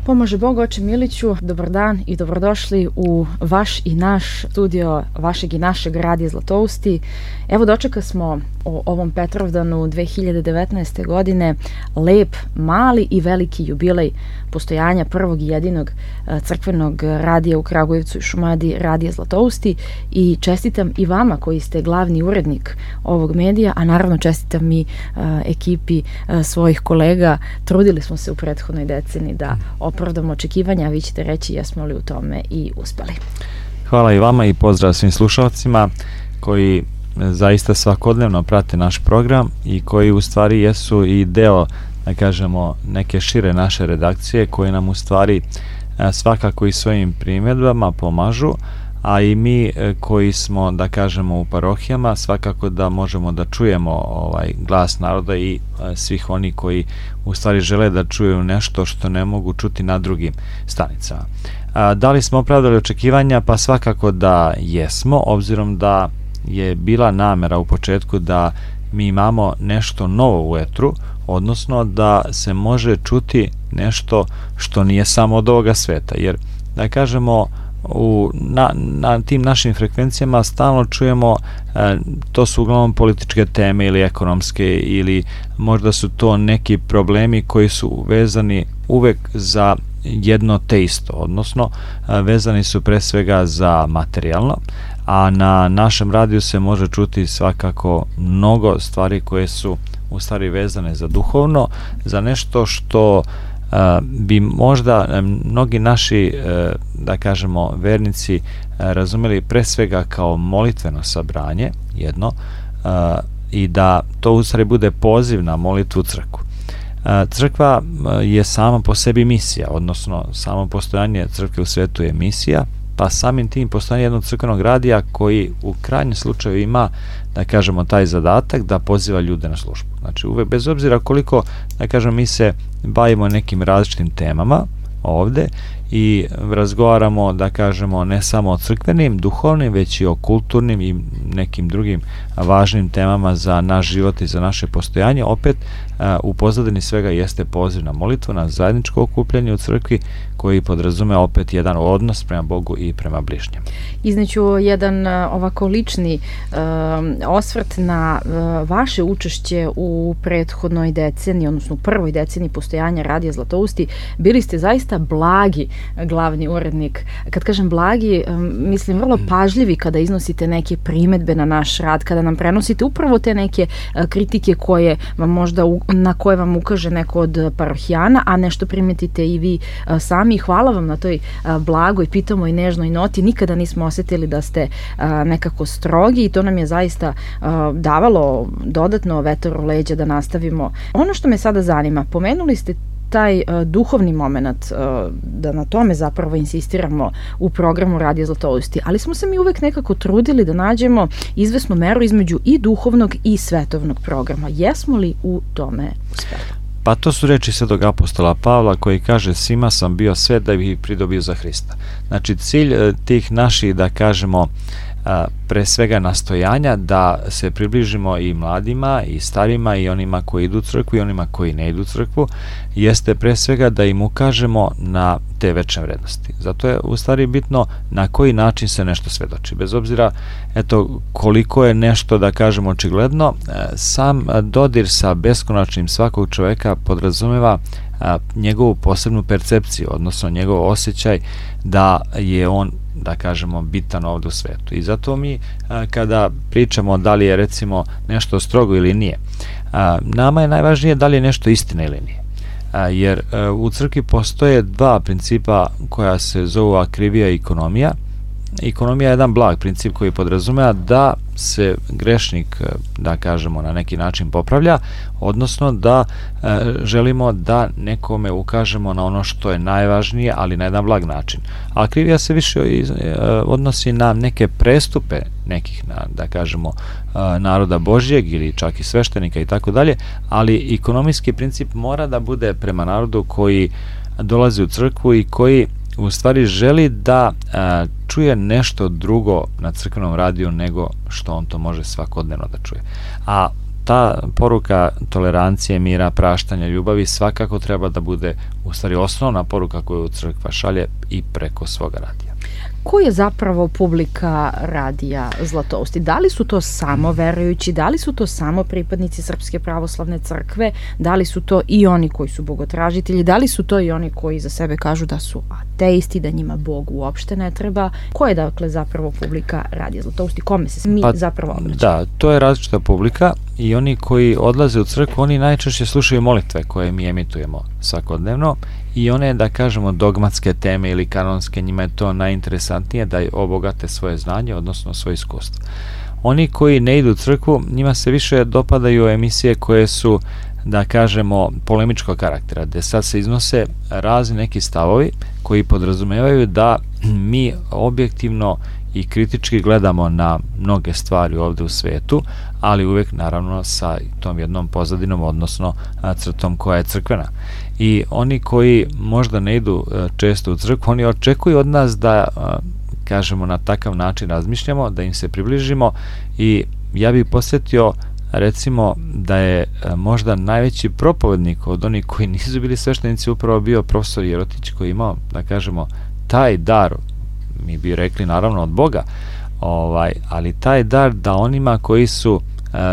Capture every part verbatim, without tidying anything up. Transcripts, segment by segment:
Pomaže Bog, oče Miliću, dobar dan i dobrodošli u vaš i naš studio, vašeg i našeg radija Zlatousti. Evo dočeka smo o ovom Petrovdanu dve hiljade devetnaeste. godine lep, mali i veliki jubilej postojanja prvog i jedinog crkvenog radija u Kragujevcu i Šumadiji, radija Zlatousti, i čestitam i vama koji ste glavni urednik ovog medija, a naravno čestitam i uh, ekipi uh, svojih kolega. Trudili smo se u prethodnoj deceniji da opravdamo očekivanja, a vi ćete reći jesmo li u tome i uspeli. Hvala i vama i pozdrav svim slušalcima koji zaista svakodnevno prate naš program i koji u stvari jesu i deo, da kažemo, neke šire naše redakcije koji nam u stvari svakako i svojim primjedbama pomažu, a i mi koji smo, da kažemo, u parohijama svakako da možemo da čujemo ovaj glas naroda i svih oni koji u stvari žele da čuju nešto što ne mogu čuti na drugim stanicama. A, da li smo opravdali očekivanja? Pa svakako da jesmo, obzirom da je bila namera u početku da mi imamo nešto novo u etru, odnosno da se može čuti nešto što nije samo od ovoga sveta, jer da kažemo u, na, na tim našim frekvencijama stalno čujemo e, to su uglavnom političke teme ili ekonomske, ili možda su to neki problemi koji su vezani uvek za jedno te isto, odnosno e, vezani su pre svega za materijalno, a na našem radiju se može čuti svakako mnogo stvari koje su u stvari vezane za duhovno, za nešto što Uh, bi možda um, mnogi naši, uh, da kažemo, vernici uh, razumeli pre svega kao molitveno sabranje, jedno, uh, i da to u stvari bude poziv na molitvu crkvu. Uh, crkva uh, je sama po sebi misija, odnosno samo postojanje crkve u svetu je misija, pa samim tim postojanje jednog crkvenog radija koji u krajnjem slučaju ima, da kažemo, taj zadatak da poziva ljude na službu. Znači uvek, bez obzira koliko, da kažemo, mi se bavimo nekim različitim temama ovde i razgovaramo, da kažemo, ne samo o crkvenim, duhovnim, već i o kulturnim i nekim drugim važnim temama za naš život i za naše postojanje, opet u pozadini svega jeste poziv na molitvu, na zajedničko okupljanje u crkvi koji podrazume opet jedan odnos prema Bogu i prema bližnjem. Izneću jedan ovako lični uh, osvrt na uh, vaše učešće u prethodnoj deceniji, odnosno u prvoj deceniji postojanja radija Zlatousti. Bili ste zaista blagi glavni urednik. Kad kažem blagi, um, mislim vrlo pažljivi kada iznosite neke primedbe na naš rad, kada nam prenosite upravo te neke uh, kritike koje vam možda u, na koje vam ukaže neko od parohijana, a nešto primetite i vi uh, sami. Hvala vam na toj uh, blagoj, pitamo i nežnoj noti. Nikada nismo osetili da ste uh, nekako strogi i to nam je zaista uh, davalo dodatno vetar u leđa da nastavimo. Ono što me sada zanima, pomenuli ste taj uh, duhovni moment, uh, da na tome zapravo insistiramo u programu Radija Zlatousti, ali smo se mi uvek nekako trudili da nađemo izvesnu meru između i duhovnog i svetovnog programa. Jesmo li u tome uspeli? Pa to su reči svetog apostola Pavla koji kaže: svima sam bio svet da bih pridobio za Hrista. Znači cilj tih naših, da kažemo, pre svega nastojanja da se približimo i mladima i starima i onima koji idu u crkvu i onima koji ne idu u crkvu, jeste pre svega da im ukažemo na te večne vrednosti. Zato je u stvari bitno na koji način se nešto svedoči. Bez obzira, eto, koliko je nešto, da kažemo, očigledno, sam dodir sa beskonačnim svakog čoveka podrazumeva a, njegovu posebnu percepciju, odnosno njegov osjećaj da je on, da kažemo, bitan ovdje u svetu. I zato mi a, kada pričamo da li je, recimo, nešto strogo ili nije, a, nama je najvažnije da li je nešto istina ili nije. A, jer a, u crkvi postoje dva principa koja se zovu akrivija i ekonomija. Ekonomija je jedan blag princip koji podrazumeva da se grešnik, da kažemo, na neki način popravlja, odnosno da e, želimo da nekome ukažemo na ono što je najvažnije, ali na jedan blag način. A krivija se više e, odnosi na neke prestupe nekih, na, da kažemo, e, naroda Božjeg ili čak i sveštenika i tako dalje, ali ekonomijski princip mora da bude prema narodu koji dolazi u crkvu i koji u stvari želi da a, čuje nešto drugo na crkvenom radiju nego što on to može svakodnevno da čuje. A ta poruka tolerancije, mira, praštanja, ljubavi svakako treba da bude u stvari osnovna poruka koju crkva šalje i preko svoga radija. Ko je zapravo publika radija Zlatousti? Da li su to samo verujući, da li su to samo pripadnici Srpske pravoslavne crkve, da li su to i oni koji su bogotražitelji, da li su to i oni koji za sebe kažu da su ateisti, da njima Bog uopšte ne treba? Ko je dakle zapravo publika radija Zlatousti? Kome se mi pa, zapravo obraćamo? Da, to je različita publika i oni koji odlaze u crkvu, oni najčešće slušaju molitve koje mi emitujemo svakodnevno i one, da kažemo, dogmatske teme ili kanonske, njima je to najinteresantnije da obogate svoje znanje, odnosno svoje iskustvo. Oni koji ne idu u crkvu, njima se više dopadaju emisije koje su, da kažemo, polemičkog karaktera, gde sad se iznose razni neki stavovi koji podrazumevaju da mi objektivno i kritički gledamo na mnoge stvari ovde u svetu, ali uvek naravno sa tom jednom pozadinom, odnosno crtom koja je crkvena. I oni koji možda ne idu često u crkvu, oni očekuju od nas da, kažemo, na takav način razmišljamo, da im se približimo i ja bih posjetio recimo da je možda najveći propovednik od onih koji nisu bili sveštenici upravo bio profesor Jerotić, koji imao, da kažemo, taj dar, mi bi rekli naravno od Boga, ovaj, ali taj dar da onima koji su,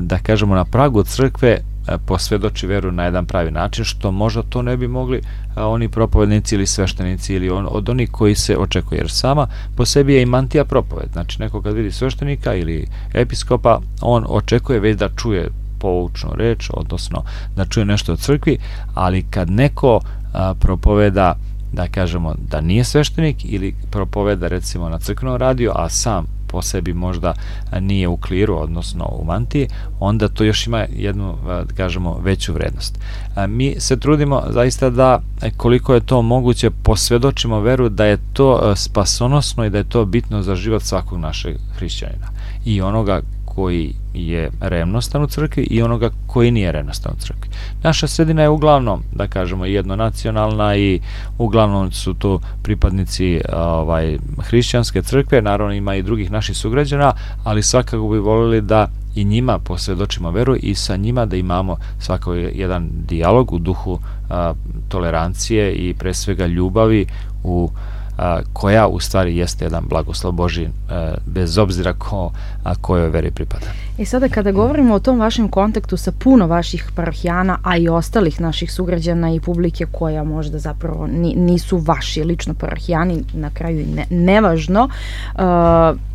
da kažemo, na pragu crkve posvedoči veru na jedan pravi način, što možda to ne bi mogli oni propovednici ili sveštenici ili on, od onih koji se očekuje, jer sama po sebi je i mantija propoved, znači neko kad vidi sveštenika ili episkopa, on očekuje već da čuje poučnu reč, odnosno da čuje nešto od crkvi, ali kad neko a, propoveda, da kažemo, da nije sveštenik ili propoveda recimo na crkvenom radiju, a sam po sebi možda nije u kliru, odnosno u mantiji, onda to još ima jednu, da kažemo, veću vrednost. Mi se trudimo zaista da, koliko je to moguće, posvjedočimo veru da je to spasonosno i da je to bitno za život svakog našeg hrišćanina. I onoga koji je revnostan u crkvi i onoga koji nije revnostan u crkvi. Naša sredina je uglavnom, da kažemo, jednonacionalna i uglavnom su to pripadnici ovaj, hrišćanske crkve, naravno ima i drugih naših sugrađana, ali svakako bi voljeli da i njima posvjedočimo veru i sa njima da imamo svakako jedan dijalog u duhu a, tolerancije i pre svega ljubavi u a, koja u stvari jeste jedan blagoslov Božji a, bez obzira ko, a kojoj veri pripada. I sada kada govorimo o tom vašem kontaktu sa puno vaših parohijana, a i ostalih naših sugrađana i publike koja možda zapravo ni, nisu vaši lično parohijani, na kraju ne, nevažno, uh,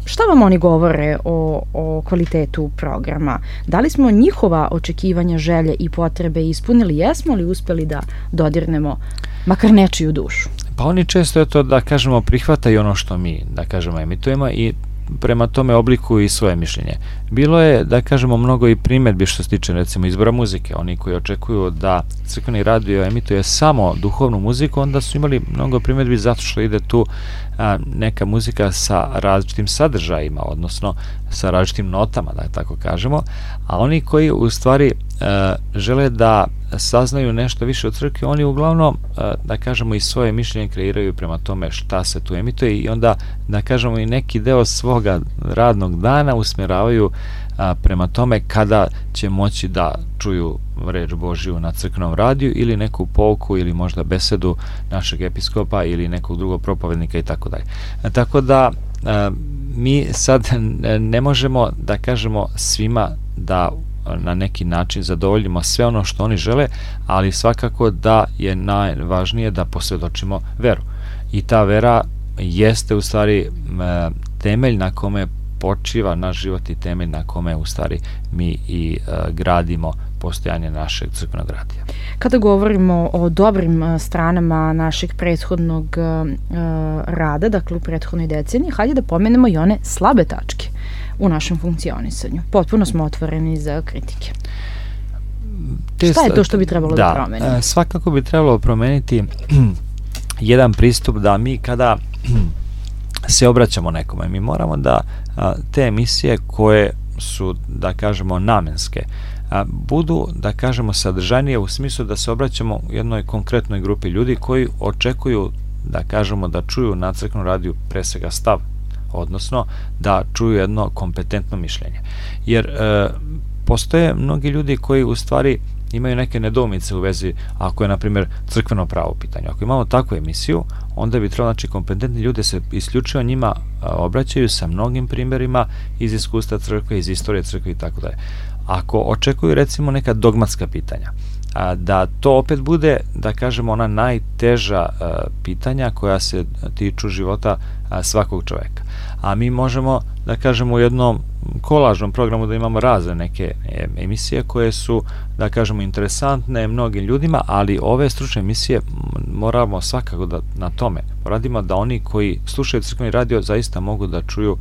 šta vam oni govore o, o kvalitetu programa? Da li smo njihova očekivanja, želje i potrebe ispunili? Jesmo li uspeli da dodirnemo makar nečiju dušu? Pa oni često je to, da kažemo, prihvataju ono što mi, da kažemo, emitujemo i prema tome oblikuju i svoje mišljenje. Bilo je, da kažemo, mnogo i primjedbi što se tiče recimo izbora muzike. Oni koji očekuju da crkveni radio emituje samo duhovnu muziku, onda su imali mnogo primjedbi zato što ide tu a, neka muzika sa različitim sadržajima, odnosno sa različitim notama, da tako kažemo, a oni koji u stvari a, žele da saznaju nešto više o crkvi, oni uglavnom, a, da kažemo, i svoje mišljenje kreiraju prema tome šta se tu emituje i onda, da kažemo, i neki deo svoga radnog dana usmjeravaju a, prema tome kada će moći da čuju reč Božju na crkvenom radiju ili neku pouku ili možda besedu našeg episkopa ili nekog drugog propovednika i tako dalje. Tako da a, mi sad ne možemo, da kažemo, svima da na neki način zadovoljimo sve ono što oni žele, ali svakako da je najvažnije da posvjedočimo veru. I ta vera jeste u stvari temelj na kome počiva naš život i temelj na kome u stvari mi i uh, gradimo postojanje našeg crkvenog radija. Kada govorimo o dobrim stranama našeg prethodnog uh, rada, dakle u prethodnoj deceniji, hajde da pomenemo i one slabe tačke u našem funkcionisanju. Potpuno smo otvoreni za kritike. Te Šta je to što bi trebalo da, da promenimo? Da, svakako bi trebalo promeniti jedan pristup da mi kada se obraćamo nekome, mi moramo da a, te emisije koje su, da kažemo, namenske, a, budu, da kažemo, sadržajnije u smislu da se obraćamo jednoj konkretnoj grupi ljudi koji očekuju, da kažemo, da čuju na crkvenom radiju pre svega stav, odnosno da čuju jedno kompetentno mišljenje. Jer e, postoje mnogi ljudi koji u stvari imaju neke nedoumice u vezi ako je, na primjer, crkveno pravo u pitanju. Ako imamo takvu emisiju, onda bi trebalo, znači, kompetentni ljudi se isključivo njima obraćaju sa mnogim primjerima iz iskustva crkve, iz istorije crkve i tako dalje. Ako očekuju, recimo, neka dogmatska pitanja, a, da to opet bude, da kažemo, ona najteža a, pitanja koja se tiču života a, svakog čoveka. A mi možemo, da kažemo, u jednom kolažnom programu da imamo razne neke emisije koje su, da kažemo, interesantne mnogim ljudima, ali ove stručne emisije moramo svakako da na tome radimo, da oni koji slušaju crkveni radio zaista mogu da čuju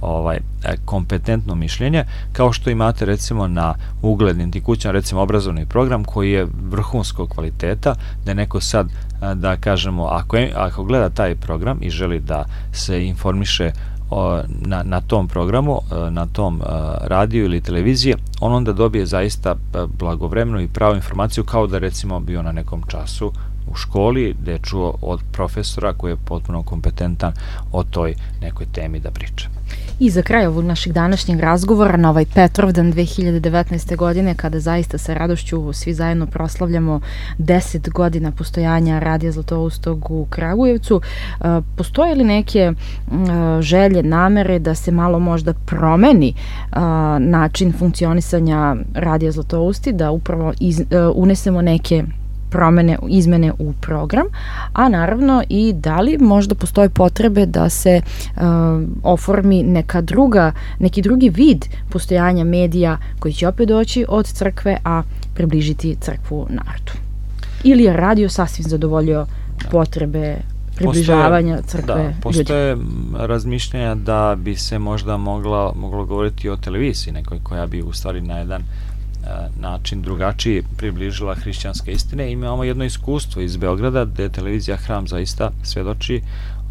ovaj kompetentno mišljenje, kao što imate, recimo, na uglednim ti kućama, recimo, obrazovni program koji je vrhunskog kvaliteta, da neko sad, da kažemo, ako, je, ako gleda taj program i želi da se informiše Na, na tom programu, na tom radiju ili televiziji, on onda dobije zaista blagovremenu i pravu informaciju, kao da, recimo, bio na nekom času u školi gde je čuo od profesora koji je potpuno kompetentan o toj nekoj temi da priča. I za kraj ovog našeg današnjeg razgovora na ovaj Petrovdan dve hiljade devetnaeste. godine, kada zaista sa radošću svi zajedno proslavljamo deset godina postojanja Radija Zlatoustog u Kragujevcu, postoje li neke želje, namere da se malo možda promeni način funkcionisanja Radija Zlatousti, da upravo iz, unesemo neke promene, izmene u program, a naravno i da li možda postoje potrebe da se uh, oformi neka druga, neki drugi vid postojanja medija koji će opet doći od crkve, a približiti crkvu narodu. Ili je radio sasvim zadovoljio potrebe približavanja postoje, crkve da, postoje ljudi. Razmišljanja da bi se možda mogla, moglo govoriti o televiziji nekoj koja bi u stvari na jedan način drugačiji približila hrišćanske istine. Imamo jedno iskustvo iz Beograda gde televizija Hram zaista svedoči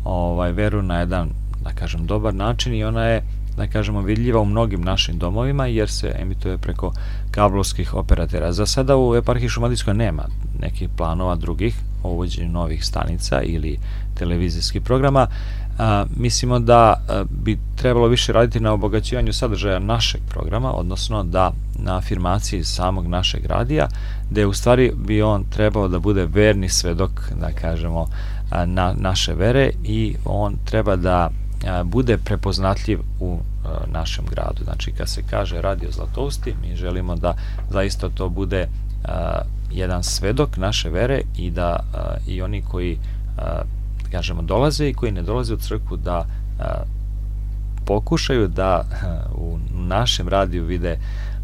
ovaj, veru na jedan, da kažem, dobar način i ona je, da kažemo, vidljiva u mnogim našim domovima jer se emituje preko kablovskih operatera. Za sada u eparhiji Šumadijskoj nema nekih planova drugih o uvođenju novih stanica ili televizijskih programa. A, mislimo da a, bi trebalo više raditi na obogaćivanju sadržaja našeg programa, odnosno da na afirmaciji samog našeg radija, gde u stvari bi on trebao da bude verni svedok, da kažemo, a, na naše vere i on treba da a, bude prepoznatljiv u a, našem gradu. Znači, kad se kaže Radio Zlatousti, mi želimo da zaista to bude a, jedan svedok naše vere i da a, i oni koji a, kažemo, dolaze i koji ne dolaze u crkvu da a, pokušaju da a, u našem radiju vide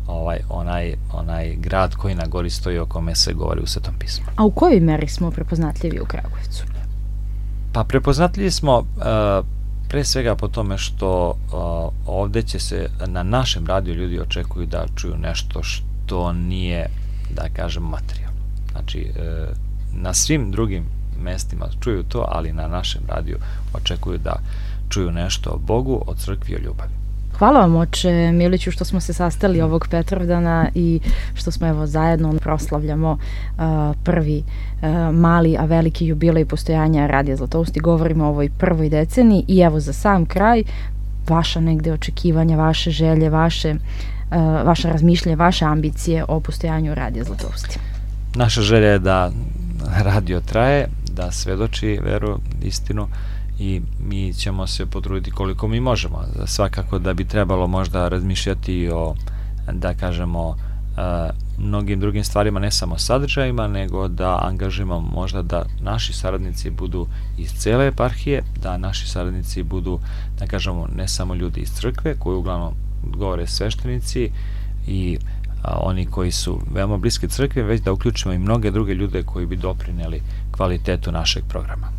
ovaj onaj onaj grad koji na gori stoji, o kome se govori u Svetom pismu. A u kojoj meri smo prepoznatljivi u Kragujevcu? Pa prepoznatljivi smo a, pre svega po tome što a, ovde će se na našem radiju ljudi očekuju da čuju nešto što nije, da kažem, materijalno. Znači, e, na svim drugim mestima čuju to, ali na našem radiju očekuju da čuju nešto o Bogu, o crkvi, o ljubavi. Hvala vam, oče Miliću, što smo se sastali ovog Petrovdana i što smo, evo, zajedno proslavljamo uh, prvi uh, mali, a veliki jubilej postojanja Radija Zlatousti. Govorimo o ovoj prvoj deceniji i evo za sam kraj vaša negde očekivanja, vaše želje, vaše, uh, vaša razmišlja, vaše ambicije o postojanju Radija Zlatousti. Naša želja je da radio traje, da svedoči veru, istinu i mi ćemo se potruditi koliko mi možemo. Svakako da bi trebalo možda razmišljati o, da kažemo, mnogim drugim stvarima, ne samo sadržajima, nego da angažimo možda da naši saradnici budu iz cele eparhije, da naši saradnici budu, da kažemo, ne samo ljudi iz crkve, koji uglavnom govore sveštenici i a, oni koji su veoma bliski crkvi, već da uključimo i mnoge druge ljude koji bi doprineli kvalitetu našeg programa.